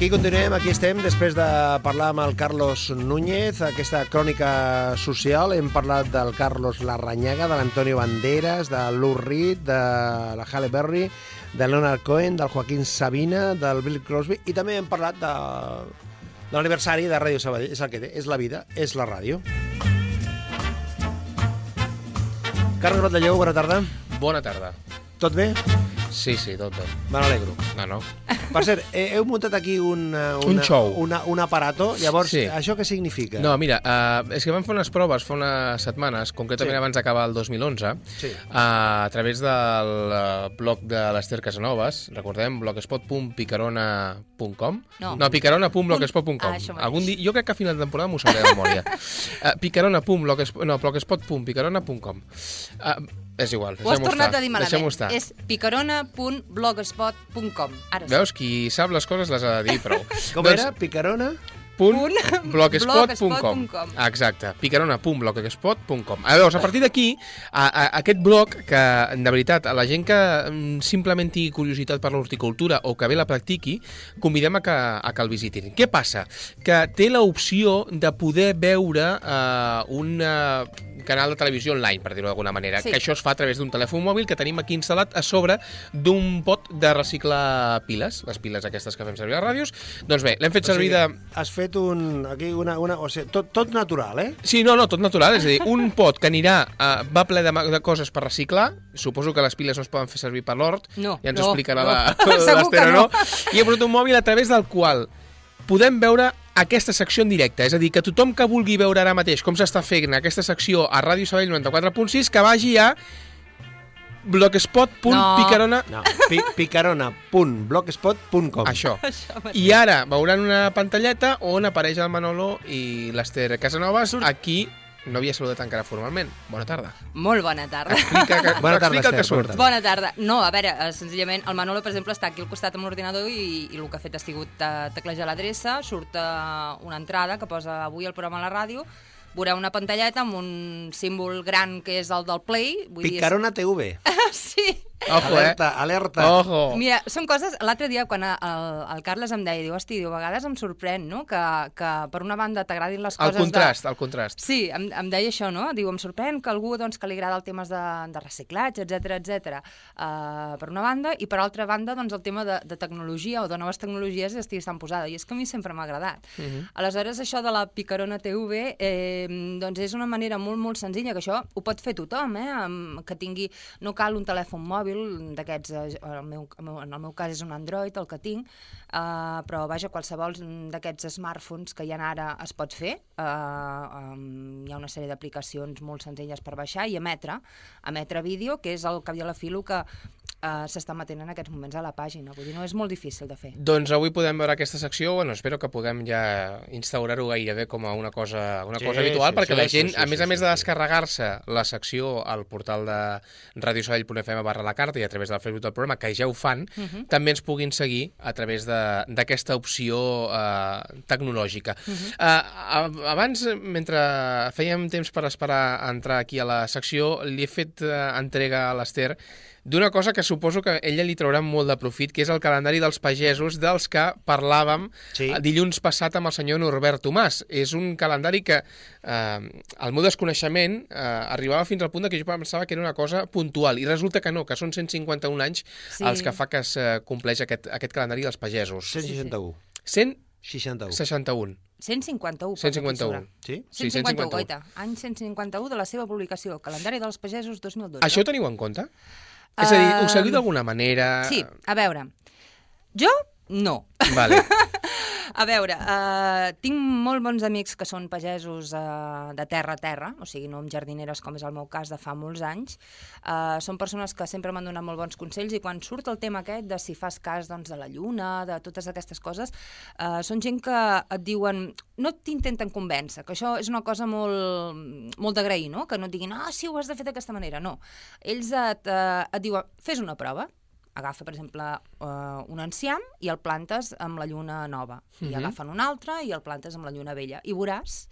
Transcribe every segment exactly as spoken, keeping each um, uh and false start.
Aquí continuem, aquí estem, després de parlar amb el Carlos Núñez, aquesta crònica social. Hem parlat del Carlos Larrañaga, de l'Antonio Banderas, de Lou Reed, de la Halle Berry, de Leonard Cohen, del Joaquín Sabina, del Bill Crosby, i també hem parlat de, de l'aniversari de Ràdio Sabadell. És el que té, és la vida, és la ràdio. Carles Batalleu, bona tarda. Bona tarda. Tot bé? Sí, sí, tot bé. Me n'alegro. No, no. Per cert, heu muntat aquí un, una, un show. Una, un aparato. Llavors, sí. Això què significa? No, mira, uh, és que vam fer unes proves fa unes setmanes, concretament sí. abans d'acabar el dos mil onze, sí. uh, a través del uh, blog de l'Ester Casanovas, recordem, blogspot punt picarona punt com. No, no picarona punt blogspot punt com. Ah, Algun dia, jo crec que a final de temporada m'ho sabré de memòria. uh, picarona punt blogspot punt picarona punt com. Uh, És igual, ho has tornat estar. a dir malament. Estar. És picarona punt blogspot punt com. Veus, qui sap les coses les ha de dir prou. Com doncs, era? Picarona? punt blogspot punt com. Exacte, picarona punt blogspot punt com. Llavors, a partir d'aquí, a, a, aquest blog, que de veritat, a la gent que simplement tingui curiositat per l'horticultura o que bé la practiqui, convidem a que, a que el visitin. Què passa? Que té l'opció de poder veure uh, un uh, canal de televisió online, per dir-ho d'alguna manera, sí. que això es fa a través d'un telèfon mòbil que tenim aquí instal·lat a sobre d'un pot de reciclar piles, les piles aquestes que fem servir a les ràdios. Doncs bé, l'hem fet servir de... Has fet un... aquí una... una o sigui, tot, tot natural, eh? Sí, no, no, tot natural. És a dir, un pot que anirà... Uh, va ple de, de coses per reciclar. Suposo que les piles no es poden fer servir per l'hort. No, ja ens no, explicarà no. l'Ester, no. no? I he posat un mòbil a través del qual podem veure aquesta secció en directe. És a dir, que tothom que vulgui veure ara mateix com s'està fent aquesta secció a Ràdio Sabadell noranta-quatre punt sis, que vagi a blogspot punt picarona no, pi picarona punt blogspot punt com. Això. I ara veuran una pantalleta on apareix el Manolo i l'Ester Casanovas. Aquí no havia saludat encara formalment. Bona tarda. Molt bona tarda. Explica, que, bona tarda, explica Esther, el que surt. Bona tarda. No, a veure, senzillament, el Manolo, per exemple, està aquí al costat amb l'ordinador i, i el que ha fet ha sigut teclejar l'adreça, surt una entrada que posa avui el programa a la ràdio, veurà una pantalleta amb un símbol gran que és el del Play. Vull Picarona dir... T V. Sí. Ojo, alerta, eh? alerta. Ojo. Mira, són coses... L'altre dia, quan el, el Carles em deia, diu, hosti, diu, a vegades em sorprèn, no?, que, que per una banda t'agradin les coses... El contrast, de... el contrast. Sí, em, em deia això, no? Diu, em sorprèn que algú, doncs, que li agrada el temes de, de reciclatge, etcètera, etcètera. Uh, per una banda, i per altra banda, doncs, el tema de, de tecnologia o de noves tecnologies estigui tan posada. I és que a mi sempre m'ha agradat. Uh -huh. Aleshores, això de la Picarona T V, eh, doncs és una manera molt, molt senzilla, que això ho pot fer tothom, eh? Que tingui... No cal un telèfon mòbil d'aquests, en el, meu, en el meu cas és un Android el que tinc, uh, però vaja, qualsevol d'aquests smartphones que hi ha ara es pot fer. Uh, um, hi ha una sèrie d'aplicacions molt senzilles per baixar i emetre, emetre vídeo, que és el cap i a la fi el que uh, s'està emetent en aquests moments a la pàgina. Vull dir, no és molt difícil de fer. Doncs avui podem veure aquesta secció, bueno, espero que puguem ja instaurar-ho gairebé com a una cosa, una sí, cosa habitual, sí, perquè sí, la gent, sí, sí, a més sí, a més sí, de sí. descarregar-se la secció al portal de radiosabadell punt f m barra la carta i a través del Facebook del programa, que ja ho fan, uh -huh. també ens puguin seguir a través d'aquesta opció uh, tecnològica. Uh -huh. uh, abans, mentre fèiem temps per esperar a entrar aquí a la secció, li he fet uh, entrega a l'Ester d'una cosa que suposo que ella li traurà molt de profit, que és el calendari dels pagesos dels que parlàvem sí. dilluns passat amb el senyor Norbert Tomàs. És un calendari que, eh, al meu desconeixement, eh, arribava fins al punt que jo pensava que era una cosa puntual, i resulta que no, que són cent cinquanta-un anys sí. els que fa que es compleix aquest, aquest calendari dels pagesos. cent seixanta-un. cent seixanta-un. seixanta-un. cent cinquanta-un. cent cinquanta-un. Sí? cent cinquanta-un, goita. Any cent cinquanta-un de la seva publicació, Calendari dels Pagesos dos mil dotze. Això ho teniu en compte? És a dir, ho seguiu d'alguna manera? Sí, a veure, jo no. Vale. A veure, uh, tinc molt bons amics que són pagesos uh, de terra a terra, o sigui, no amb jardineres com és el meu cas de fa molts anys. Uh, són persones que sempre m'han donat molt bons consells i quan surt el tema aquest de si fas cas doncs, de la lluna, de totes aquestes coses, uh, són gent que et diuen, no t'intenten convèncer, que això és una cosa molt, molt d'agrair, no? Que no et diguin, ah, sí, ho has de fer d'aquesta manera, no. Ells et, uh, et diuen, fes una prova, agafa, per exemple, uh, un enciam i el plantes amb la lluna nova. I uh-huh. agafen un altre i el plantes amb la lluna vella. I veuràs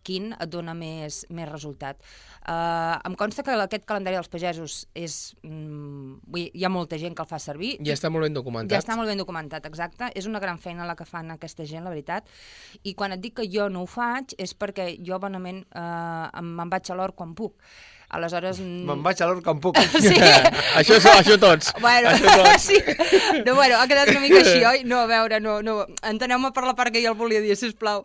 quin et dona més, més resultat. Uh, em consta que aquest calendari dels pagesos és... Mm, vull dir, hi ha molta gent que el fa servir. Ja està molt ben documentat. Ja està molt ben documentat, exacte. És una gran feina la que fan aquesta gent, la veritat. I quan et dic que jo no ho faig és perquè jo bonament uh, me'n vaig a l'hort quan puc. Aleshores... Me'n vaig a l'hort quan puc. Sí. això, això tots. Bueno, això tots. sí. No, bueno, ha quedat una mica així, oi? No, a veure, no, no. Enteneu-me per la part que jo el volia dir, sisplau.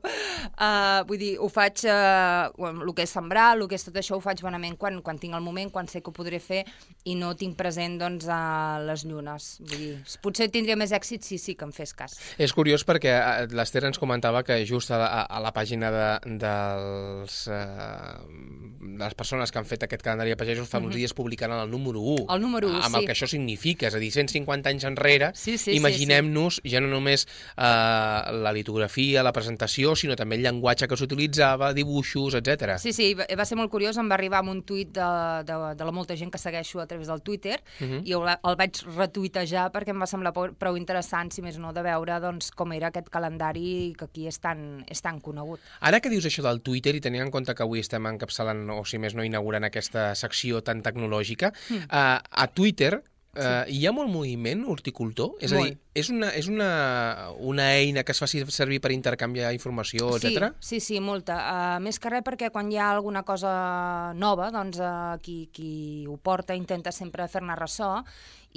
Uh, vull dir, ho faig, uh, el que és sembrar, el que és tot això, ho faig bonament quan, quan tinc el moment, quan sé que ho podré fer i no tinc present, doncs, uh, les llunes. Vull dir, potser tindria més èxit si sí que em fes cas. És curiós perquè l'Ester ens comentava que just a la, a la pàgina de, dels, uh, de les persones que han fet aquest calendari de pagesos fa uns dies publicaran el número u. El número u, amb sí. el que això significa, és a dir, cent cinquanta anys enrere, sí, sí, imaginem-nos sí, sí. ja no només uh, la litografia, la presentació, sinó també el llenguatge que s'utilitzava, dibuixos, etcètera. Sí, sí, va ser molt curiós, em va arribar amb un tuit de, de, de la molta gent que segueixo a través del Twitter uh -huh. i el, el vaig retuitejar perquè em va semblar prou interessant, si més no, de veure doncs, com era aquest calendari que aquí és tan, és tan conegut. Ara que dius això del Twitter i tenint en compte que avui estem encapçalant, o si més no, inaugurant aquesta secció tan tecnològica, mm. uh, a Twitter uh, sí. hi ha molt moviment horticultor? És molt. A dir, és, una, és una, una eina que es faci servir per intercanviar informació, etcètera? Sí, sí, sí, molta. Uh, més que res perquè quan hi ha alguna cosa nova, doncs uh, qui, qui ho porta intenta sempre fer-ne ressò.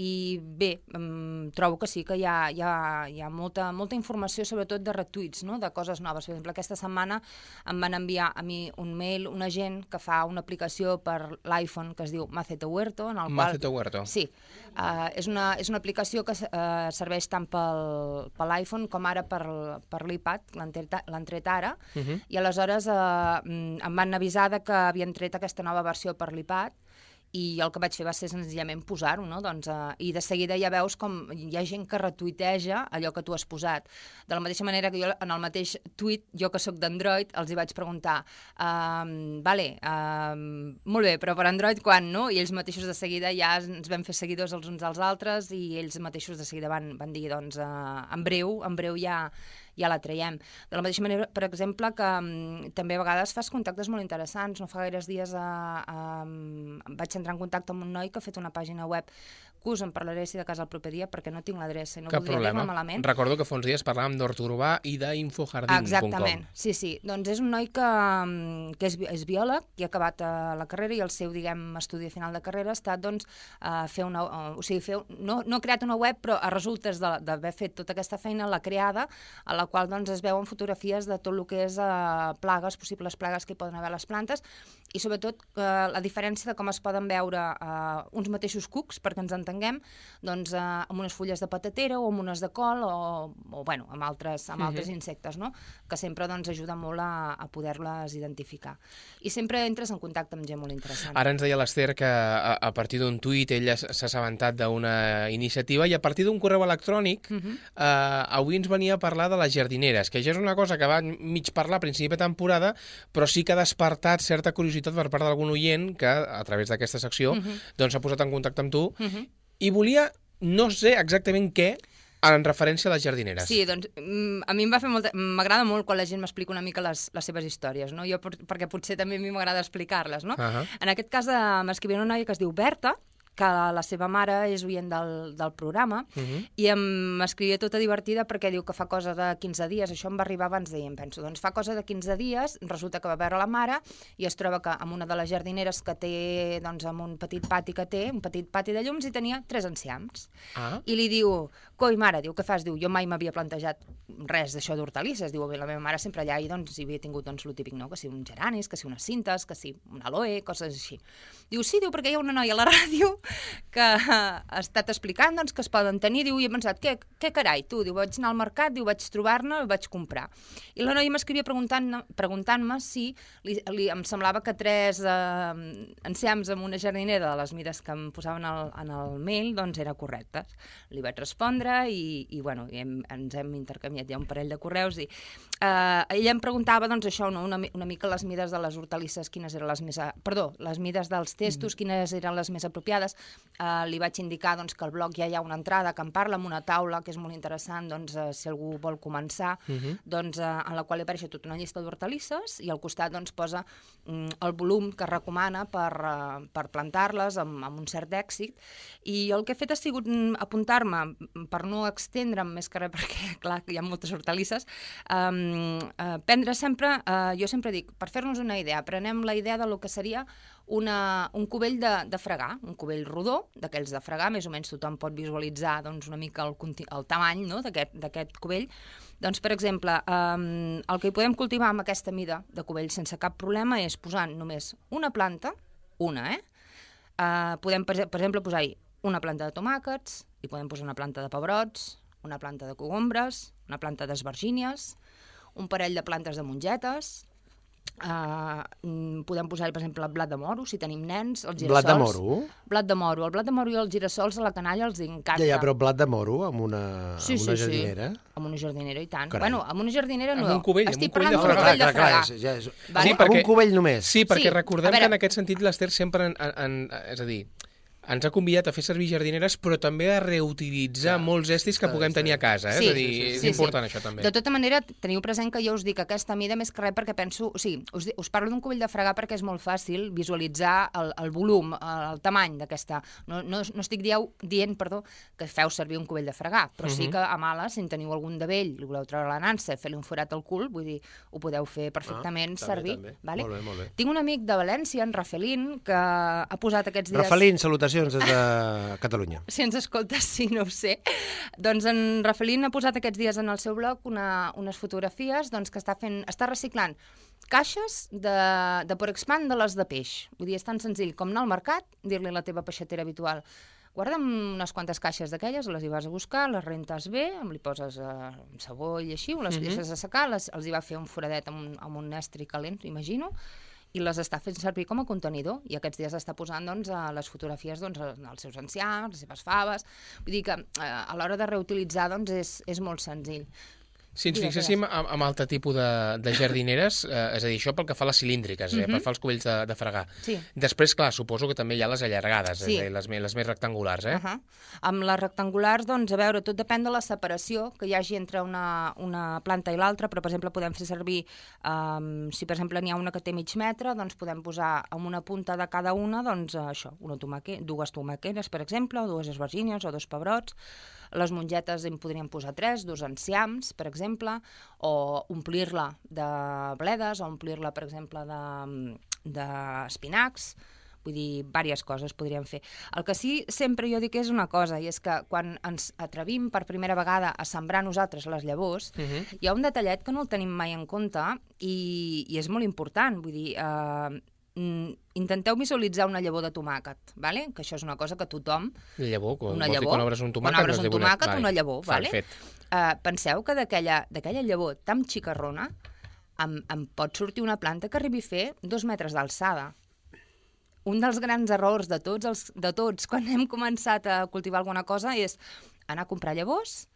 I bé, um, trobo que sí que hi ha, hi ha, hi ha molta, molta informació, sobretot de retuits, no? De coses noves. Per exemple, aquesta setmana em van enviar a mi un mail una gent que fa una aplicació per l'iPhone que es diu Macete Huerto. En el Macete qual, Huerto. Sí. Uh, és, una, és una aplicació que uh, serveix tant pel, per l'iPhone com ara per, per l'iPad, l'han tret ara, uh -huh. i aleshores uh, em van avisar de que havien tret aquesta nova versió per l'iPad, i el que vaig fer va ser senzillament posar-ho, no? Doncs, uh, i de seguida ja veus com hi ha gent que retuiteja allò que tu has posat. De la mateixa manera que jo en el mateix tuit, jo que sóc d'Android, els hi vaig preguntar uh, vale, uh, molt bé, però per Android quan, no? I ells mateixos de seguida ja ens vam fer seguidors els uns als altres i ells mateixos de seguida van, van dir, doncs, uh, en breu, en breu ja ja la traiem. De la mateixa manera, per exemple, que um, també a vegades fas contactes molt interessants. No fa gaires dies uh, um, vaig entrar en contacte amb un noi que ha fet una pàgina web que us en parlaré si de cas el proper dia perquè no tinc l'adreça i no Cap voldria dir-me problema. malament. Recordo que fa uns dies parlàvem d'hort urbà i d'infojardín punt com. Exactament, sí, sí. Doncs és un noi que, que és, és biòleg i ha acabat uh, la carrera i el seu, diguem, estudi final de carrera ha estat, doncs, uh, fer una... Uh, o sigui, fer, no, no ha creat una web, però a resultes d'haver fet tota aquesta feina l'ha creada, a la qual doncs, es veuen fotografies de tot el que és uh, plagues, possibles plagues que hi poden haver a les plantes, i sobretot uh, la diferència de com es poden veure uh, uns mateixos cucs, perquè ens entenguem, doncs, uh, amb unes fulles de patatera o amb unes de col o, o bueno, amb altres, amb altres uh-huh. insectes, no? Que sempre doncs, ajuda molt a, a poder-les identificar. I sempre entres en contacte amb gent molt interessant. Ara ens deia l'Ester que a, a partir d'un tuit ella s'ha assabentat d'una iniciativa i a partir d'un correu electrònic uh-huh. uh, avui ens venia a parlar de les jardineres, que ja és una cosa que va mig parlar a principi de temporada, però sí que ha despertat certa curiositat per part d'algun oient que, a través d'aquesta secció, uh-huh. doncs s'ha posat en contacte amb tu uh-huh. i volia, no sé exactament què, en referència a les jardineres. Sí, doncs a mi em va fer molta... m'agrada molt quan la gent m'explica una mica les, les seves històries, no? Jo, perquè potser també a mi m'agrada explicar-les, no? Uh-huh. En aquest cas m'escrivia una noia que es diu Berta, que la seva mare és oient del, del programa, uh-huh. i m'escrivia tota divertida perquè diu que fa cosa de quinze dies, això em va arribar abans d'ahir, em penso, doncs fa cosa de quinze dies, resulta que va veure la mare i es troba que amb una de les jardineres que té, doncs amb un petit pati que té, un petit pati de llums, i tenia tres enciams. Ah. I li diu, coi mare, diu, què fas? Diu, jo mai m'havia plantejat res d'això d'hortalisses, diu, la meva mare sempre allà i doncs hi havia tingut doncs lo típic, no?, que si uns geranis, que si unes cintes, que si un aloe, coses així. Diu, sí, diu, perquè hi ha una noia a la ràdio que ha estat explicant doncs, que es poden tenir, diu, i he pensat, què, què carai, tu? Diu, vaig anar al mercat, diu, vaig trobar-ne i vaig comprar. I la noia m'escrivia preguntant-me preguntant si li, li, em semblava que tres eh, enciams amb una jardinera de les mides que em posaven al, en el mail, doncs era correctes. Li vaig respondre etcètera. I, i bueno, hem, ens hem intercanviat ja un parell de correus i eh, ella em preguntava, doncs això, no? una, una mica les mides de les hortalisses, quines eren les més... A... Perdó, les mides dels testos, mm. quines eren les més apropiades. Eh, li vaig indicar doncs, que al blog ja hi ha una entrada que em parla amb una taula, que és molt interessant, doncs, eh, si algú vol començar, mm-hmm. doncs, eh, en la qual hi apareix tota una llista d'hortalisses i al costat doncs, posa mm, el volum que recomana per, uh, per plantar-les amb, amb un cert èxit. I el que he fet ha sigut apuntar-me, per no extendre'm més que res, perquè clar, hi ha moltes hortalisses, um, uh, prendre sempre, uh, jo sempre dic, per fer-nos una idea, prenem la idea de lo que seria una, un cubell de, de fregar, un cubell rodó, d'aquells de fregar, més o menys tothom pot visualitzar doncs, una mica el, el tamany no? d'aquest cubell. Doncs, per exemple, um, el que hi podem cultivar amb aquesta mida de cubell sense cap problema és posant només una planta, una, eh? Uh, podem, per, per exemple, posar-hi una planta de tomàquets, hi podem posar una planta de pebrots, una planta de cogombres, una planta d'esvergínies, un parell de plantes de mongetes, Uh, podem posar-hi, per exemple, blat de moro, si tenim nens, els girassols. Blat de moro? Blat de moro. El blat de moro i els girassols a la canalla els encanta. Ja, ja, però blat de moro amb una, sí, amb una sí, jardinera? Sí, amb una jardinera, i tant. Carai. Bueno, amb una jardinera no. Amb un cubell, Estic amb un cubell parlant de d'un fregar. cubell de fregar. Clar, ja és... Vale? Sí, perquè... Amb un cubell només. Sí, perquè sí, recordem veure... que en aquest sentit l'Ester sempre, en, en, en, és a dir, ens ha convidat a fer servir jardineres, però també a reutilitzar ja, molts estris que puguem tenir a casa. Eh? Sí, és a dir, sí, sí, és sí, important sí. això també. De tota manera, teniu present que jo us dic aquesta mida més que res perquè penso... O sigui, us, us parlo d'un cubell de fregar perquè és molt fàcil visualitzar el, el volum, el, el tamany d'aquesta... No, no, no estic dieu, dient perdó, que feu servir un cubell de fregar, però uh -huh. sí que a males, si en teniu algun de vell, li voleu treure la nansa, fer-li un forat al cul, vull dir, ho podeu fer perfectament ah, servir. També, també. Vale? Molt bé, molt bé. Tinc un amic de València, en Rafelín, que ha posat aquests dies... Rafelín, salutacions des de Catalunya. Si ens escoltes, sí, no ho sé. Doncs en Rafelín ha posat aquests dies en el seu blog una, unes fotografies doncs, que està fent, està reciclant caixes de, de Porexpan de les de peix. Vull dir, és tan senzill com anar al mercat, dir-li a la teva peixatera habitual guarda'm unes quantes caixes d'aquelles, les hi vas a buscar, les rentes bé, li poses eh, sabó i així, les uh -huh. deixes a secar, les, els hi va fer un foradet amb un, amb un estri calent, imagino, i les està fent servir com a contenidor, i aquests dies està posant doncs, a les fotografies doncs, als seus enciams, les seves faves. Vull dir que eh, a l'hora de reutilitzar doncs, és, és molt senzill. Si ens fixéssim amb, amb altre tipus de, de jardineres, eh, és a dir, això pel que fa a les cilíndriques, eh, uh -huh. per fer els cubells de, de fregar. Sí. Després, clar, suposo que també hi ha les allargades, sí. és a dir, les, les més rectangulars, eh? Uh -huh. Amb les rectangulars, doncs, a veure, tot depèn de la separació que hi hagi entre una, una planta i l'altra, però, per exemple, podem fer servir, um, si, per exemple, n'hi ha una que té mig metre, doncs podem posar amb una punta de cada una, doncs, això, una tomaque, dues tomaqueres, per exemple, o dues esvergínies, o dos pebrots. Les mongetes en podríem posar tres, dos enciams, per exemple, o omplir-la de bledes, o omplir-la, per exemple, d'espinacs. De, Vull dir, diverses coses podríem fer. El que sí, sempre jo dic és una cosa, i és que quan ens atrevim per primera vegada a sembrar nosaltres les llavors, uh -huh. hi ha un detallet que no el tenim mai en compte i, i és molt important. Vull dir, eh, intenteu visualitzar una llavor de tomàquet, vale? Que això és una cosa que tothom... Llavor, quan, una llavor, quan obres un tomàquet, quan obres un tomàquet vale. Una llavor, Fa, vale? Uh, penseu que d'aquella llavor tan xicarrona em, em pot sortir una planta que arribi a fer dos metres d'alçada. Un dels grans errors de tots, els, de tots quan hem començat a cultivar alguna cosa és anar a comprar llavors,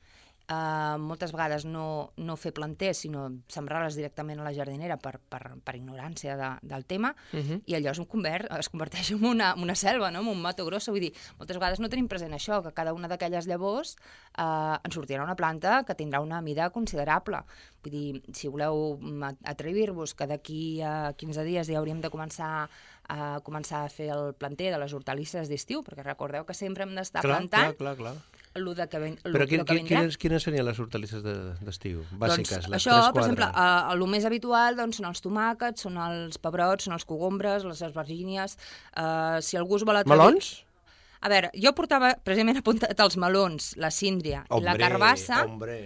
Uh, moltes vegades no, no fer planters, sinó sembrar-les directament a la jardinera per, per, per ignorància de, del tema, uh -huh. i allò es, convert, es converteix en una, una selva, no? En un mato grosso. Vull dir, moltes vegades no tenim present això, que cada una d'aquelles llavors uh, ens sortirà una planta que tindrà una mida considerable. Vull dir, si voleu atrevir-vos que d'aquí a quinze dies ja hauríem de començar a començar a fer el planter de les hortalisses d'estiu, perquè recordeu que sempre hem d'estar plantant. Clar, clar, clar. Lo de que ven, Però quin, que quines, quines serien les hortalisses d'estiu? De, bàsiques, doncs, les això, tres, per exemple, uh, el més habitual doncs, són els tomàquets, són els pebrots, són els cogombres, les esvergínies. Uh, si algú es vol atrevir... Melons? A veure, jo portava, precisament apuntat els melons, la síndria hombre, i la carbassa. Hombre.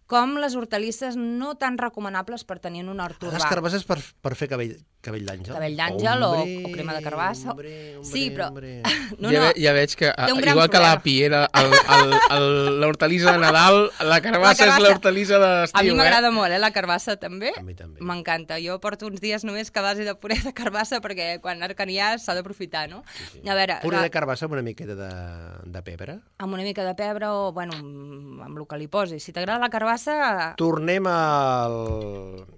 com les hortalisses no tan recomanables per tenir en un hort urbà. Les carbasses per, per fer cabell, cabell d'àngel. Cabell d'àngel o, o crema de carbassa. Hombre, hombre, sí, però... No, ja, no. Ve, ja veig que, igual problema. que l'api era l'hortalissa de Nadal, la carbassa, la carbassa és l'hortalissa d'estiu. A mi m'agrada eh? molt, eh, la carbassa també. A mi també. M'encanta. Jo porto uns dies només que a base de puré de carbassa perquè quan n'hi s'ha d'aprofitar, no? Sí, sí. A veure, puré la... de carbassa amb una miqueta de, de pebre? Amb una mica de pebre o, bueno, amb el que li posis. Si t'agrada la carbassa... Tornem al...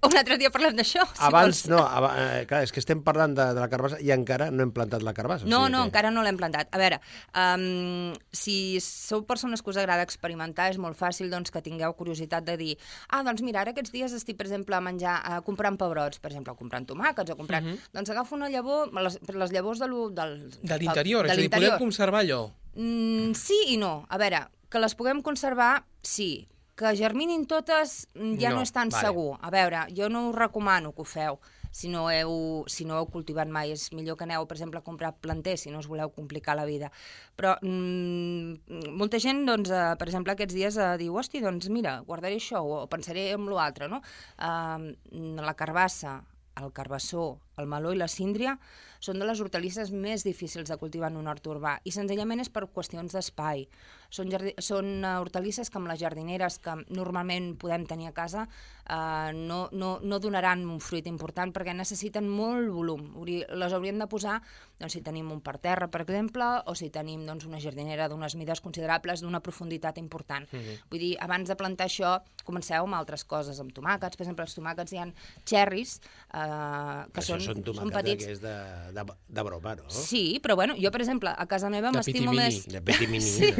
Un altre dia parlem d'això. Si Abans, vols. no, ab eh, clar, és que estem parlant de, de la carbassa i encara no hem plantat la carbassa. No, o sigui no, que... encara no l'hem plantat. A veure, um, si sou persones que us agrada experimentar, és molt fàcil doncs, que tingueu curiositat de dir ah, doncs mira, ara aquests dies estic, per exemple, a menjar, a comprant pebrots, per exemple, o comprant tomàquets, o comprant... Uh -huh. Doncs agafo una llavor, les, les llavors de lo, del... De l'interior, és a dir, podem conservar allò? Mm, sí i no. A veure, que les puguem conservar, sí. Que germinin totes ja no, no és tan vale. segur. A veure, jo no us recomano que ho feu si no, heu, si no heu cultivat mai. És millor que aneu, per exemple, a comprar planters si no us voleu complicar la vida. Però mm, molta gent, doncs, eh, per exemple, aquests dies eh, diu, hosti, doncs mira, guardaré això o pensaré en l'altre, no? Eh, la carbassa, el carbassó, el meló i la síndria són de les hortalisses més difícils de cultivar en un hort urbà i senzillament és per qüestions d'espai. Són, són hortalisses que amb les jardineres que normalment podem tenir a casa eh, no, no, no donaran un fruit important perquè necessiten molt volum. Les hauríem de posar doncs, si tenim un parterre, per exemple, o si tenim doncs, una jardinera d'unes mides considerables, d'una profunditat important. Mm-hmm. Vull dir, abans de plantar això, comenceu amb altres coses, amb tomàquets. Per exemple, els tomàquets hi ha xerris eh, que això són, són, són petits. Que és de, de, de broma, no? Sí, però bueno, jo, per exemple, a casa meva m'estimo més... De pitimini. Sí,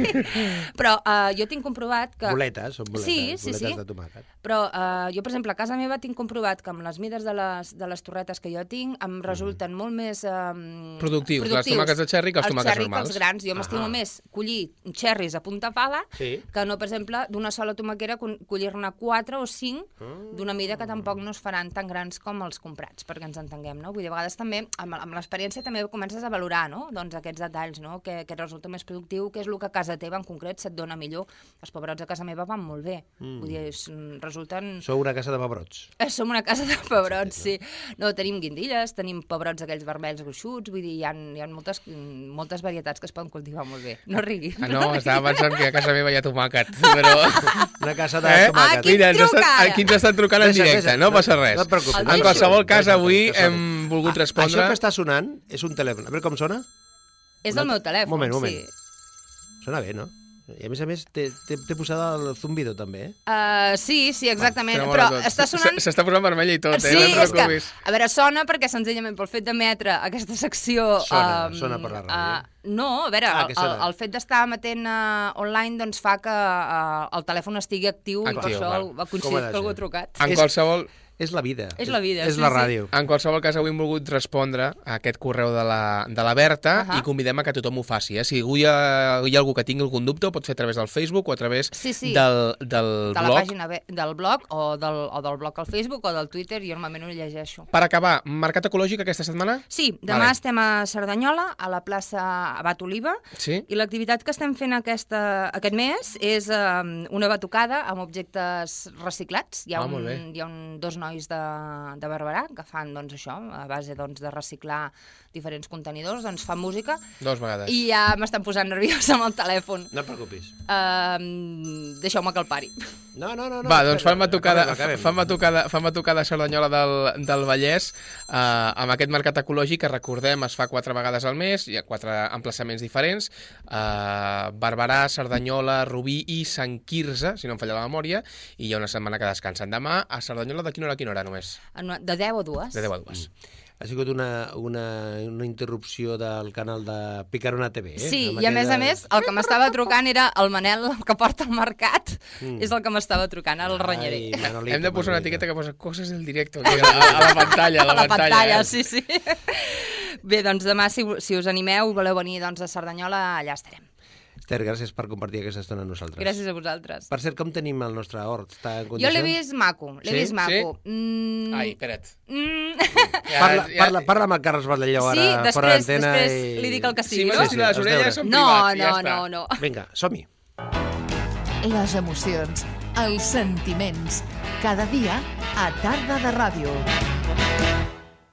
però uh, jo tinc comprovat que... Boletes, són boletes, sí, sí, boletes sí. de tomàquet. Però uh, jo, per exemple, a casa meva tinc comprovat que amb les mides de les, de les torretes que jo tinc em resulten mm. molt més... Um, productius, productius, les tomàquets de xerri que els, els tomàquets xerri normals. Els xerri que els grans. Jo m'estimo ah. més collir xerris a punta pala sí. que no, per exemple, d'una sola tomaquera collir-ne quatre o cinc mm. d'una mida que tampoc no es faran tan grans com els comprats, perquè ens entenguem, no? Vull dir, a vegades també, amb, amb l'experiència també comences a valorar, no? Doncs aquests detalls, no? Que, que resulta més productiu, que és el que a casa teva en concret se't dona millor. Els pebrots a casa meva van molt bé. Mm. Vull dir, és, resulten... Sou una casa de pebrots. Eh, som una casa de pebrots, sí. No, tenim guindilles, tenim pebrots aquells vermells gruixuts, vull dir, hi ha, hi ha moltes, moltes varietats que es poden cultivar molt bé. No riguis. Ah, no, estava pensant que a casa meva hi ha tomàquet, però... Una casa de eh? tomàquet. Ah, qui Mira, ens estan, aquí ens estan trucant en directe, no passa res. No et preocupis. En qualsevol cas, avui hem volgut respondre... Això que està sonant és un telèfon. A veure com sona? És el meu telèfon, moment, moment. sí. Sona bé, no? I a més a més t'he posat el zumbido també, eh? Uh, sí, sí, exactament, ah, però està sonant... S'està posant vermella i tot, sí, eh? No és que, a veure, sona perquè senzillament pel fet d'emetre aquesta secció... Sona, um, sona per la ràdio. Uh, no, a veure, ah, el, el, el fet d'estar emetent uh, online doncs fa que uh, el telèfon estigui actiu, actiu i per això val. ha coincidit que algú ha trucat. En qualsevol... És la vida. És la vida, és, sí, és la sí. ràdio. En qualsevol cas, avui hem volgut respondre a aquest correu de la, de la Berta uh -huh. i convidem a que tothom ho faci. Eh? Si hi ha, hi ha algú que tingui algun dubte, ho pot fer a través del Facebook o a través sí, sí. del, del de blog. la pàgina del blog o del, o del blog al Facebook o del Twitter, jo normalment ho llegeixo. Per acabar, Mercat Ecològic aquesta setmana? Sí, demà vale. Estem a Cerdanyola, a la plaça Abat Oliva, sí? i l'activitat que estem fent aquesta, aquest mes és um, una batucada amb objectes reciclats. Hi ha, ah, un, hi ha un, dos nois de de Barberà, que fan doncs, això, a base doncs, de reciclar diferents contenidors, doncs fan música. Dos vegades. I ja m'estan posant nerviosa amb el telèfon. No et preocupis. Uh, Deixeu-me que el pari. No, no, no. no Va, doncs fan batucada, fan batucada, fan batucada a Cerdanyola del, del Vallès uh, amb aquest mercat ecològic que recordem es fa quatre vegades al mes, hi ha quatre emplaçaments diferents, uh, Barberà, Cerdanyola, Rubí i Sant Quirze, si no em falla la memòria, i hi ha una setmana que descansen. Demà a Cerdanyola de quina hora a quina hora només? De deu a dues. De deu a dues. Mm. Ha sigut una, una, una interrupció del canal de Picarona T V, eh? Sí, i a més de... a més, el que m'estava trucant era el Manel, que porta al mercat, mm. és el que m'estava trucant, el renyeré. Manolito, hem de posar una etiqueta que posa coses del directe, a, a la pantalla, a la, a la pantalla. pantalla, eh? sí, sí. Bé, doncs demà, si, si us animeu, voleu venir doncs, a Cerdanyola, allà estarem. Esther, gràcies per compartir aquesta estona amb nosaltres. Gràcies a vosaltres. Per cert, com tenim el nostre hort? Està en jo l'he vist maco, l'he sí? vist maco. Sí? Mm... Ai, espera't. Mm... Ja, parla, ja... parla, parla amb el Carles Baldelló sí, ara, després, fora d'antena. Sí, després i... li dic el que sigui, sí, no? Sí, sí, les orelles són no, privats, no, ja està. no, no. Vinga, som-hi. Les emocions Els sentiments. Cada dia a Tarda de Ràdio.